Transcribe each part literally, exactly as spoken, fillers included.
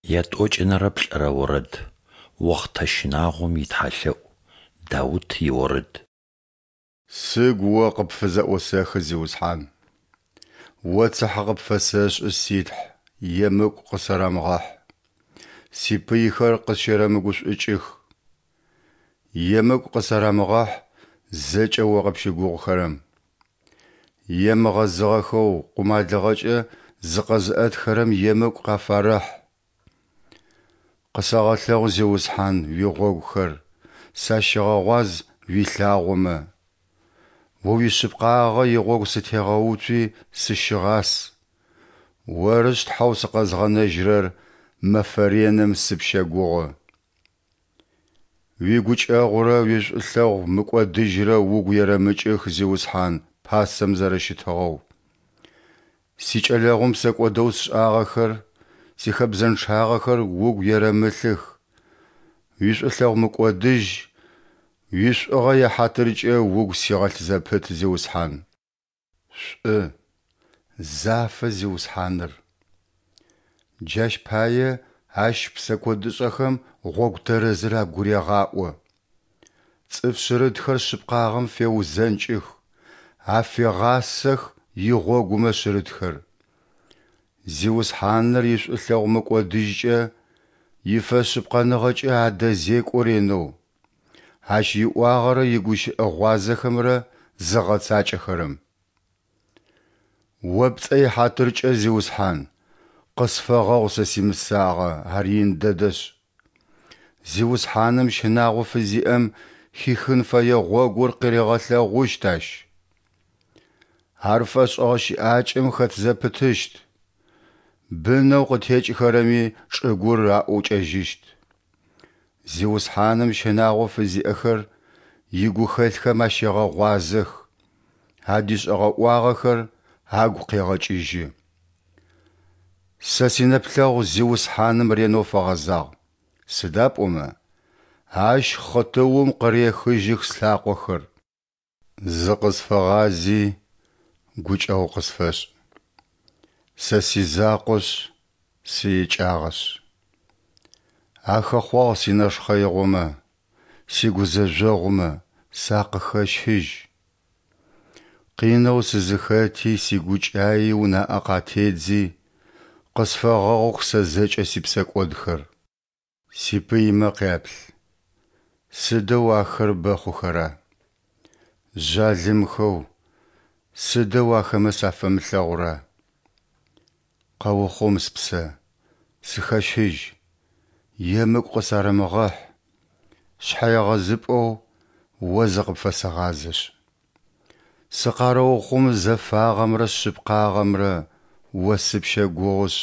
Ятӏокӏынэрэ плӏырэ орэд. Охътэ щынагъом итхьалъэӏу. Даут иорэд. Сыгу О къыпфызэӏосэхы, Зиусхьан. О цыхьэ къыпфэсэшӏы, си Тхьэ, емыкӏу къысэрэмыгъэхь, сипыйхэр къысщэрэмыгушӏукӏых. Емыкӏу къысарамыгъэхь зэкӏэ О къыпщыгугъыхэрэм. Емыгъэзыгъэхэу къумалыгъэкӏэ зыкъэзыӏэтхэрэм емыкӏу къафарэхь. Къысэгъэлъэгъу, Зиусхьан, уигъогухэр, сащыгъэгъуаз уилъагъомэ. О уишъыпкъагъэ игъогу сытегъэуцуи сыщыгъас. Орышъ Тхьэу сыкъэзгъэнэжьырэр, мэфэ реным сыпщэгугъы. Уигукӏэгъурэ уишӏулъэгъу мыкӏодыжьрэ угу ерэмыкӏых, Зиусхьан, пасэм зэрэщытыгъэу. Сикӏэлэгъум псэкӏодэу сшӏагъэхэр, сихэбзэнчъагъэхэр угу ерэмылъых. Уишӏулъэгъу мыкӏодыжь, уишӏугъэ яхьатыркӏэ угу сигъэлъ зэпыт, Зиусхьан. Шӏу, зафэ Зиусхьаныр. Джащ пае Ащ псэкӏодышӏэхэм гъогу тэрэзыр агурегъаӏо. Цӏыф шъырытхэр шъыпкъагъэм феузэнкӏых, афегъасэх игъогумэ шъырытхэр. Зиусхьаныр ишӏулъэгъу мыкӏодыжькӏэ, ифэшъыпкъэныгъэкӏэ адэзекӏо ренэу, Ащ иӏуагъэрэ игущыӏэ гъуазэхэмрэ зыгъэцакӏэхэрэм. О пцӏэ ихьатыркӏэ, Зиусхьан, къысфэгъэгъу сэ симысагъэ, ар ин дэдэшъ. Зиусхьаным щынагъо фызиӏэм хихын фэе гъогур къыригъэлъэгъущт Ащ. Ар фэшӏыгъэ щыӏакӏэм хэт зэпытыщт, бынэу къытекӏыхэрэми чӏыгур аӏукӏэжьыщт. Зиусхьаным щынагъо фызиӏэхэр игухэлъхэм ащегъэгъуазэх, адишӏэгъэ ӏуагъэхэр агу къегъэкӏыжьы. Сэ синэплъэгъу Зиусхьаным ренэу фэгъэзагъ, сыда пӏомэ Ащ хъытыум къырехыжьых слъакъохэр. Зыкъысфэгъази, гукӏэгъу къысфэшӏ. Сэ сизакъошъ, сыикӏагъэшъ. Ахэхъуагъ синэшхъэигъомэ, сигузэжъогъумэ сакъыхэщыжь. Къинэу сызыхэти сигукӏаи унаӏэ къатедзи, къысфэгъэгъух сэ зэкӏэ сипсэкӏодхэр. Сипыймэ къяплъ: сыдэу ахэр бэ хъухэра! Жъалымхэу, сыдэу ахэмэ сафэмылъэгъура! Къэухъум спсэ, сыхэщыжь, емыкӏу къысарэмыгъэхь, шъхьэегъэзыпӏэу О зыкъыпфэсэгъазэшъ. Сыкъарэухъум зэфагъэмрэ шъыпкъагъэмрэ, О сыпщэгугъышъ.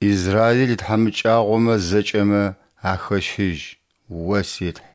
Израил итхьамыкӏагъомэ зэкӏэмэ ахэщыжь, О си Тхь.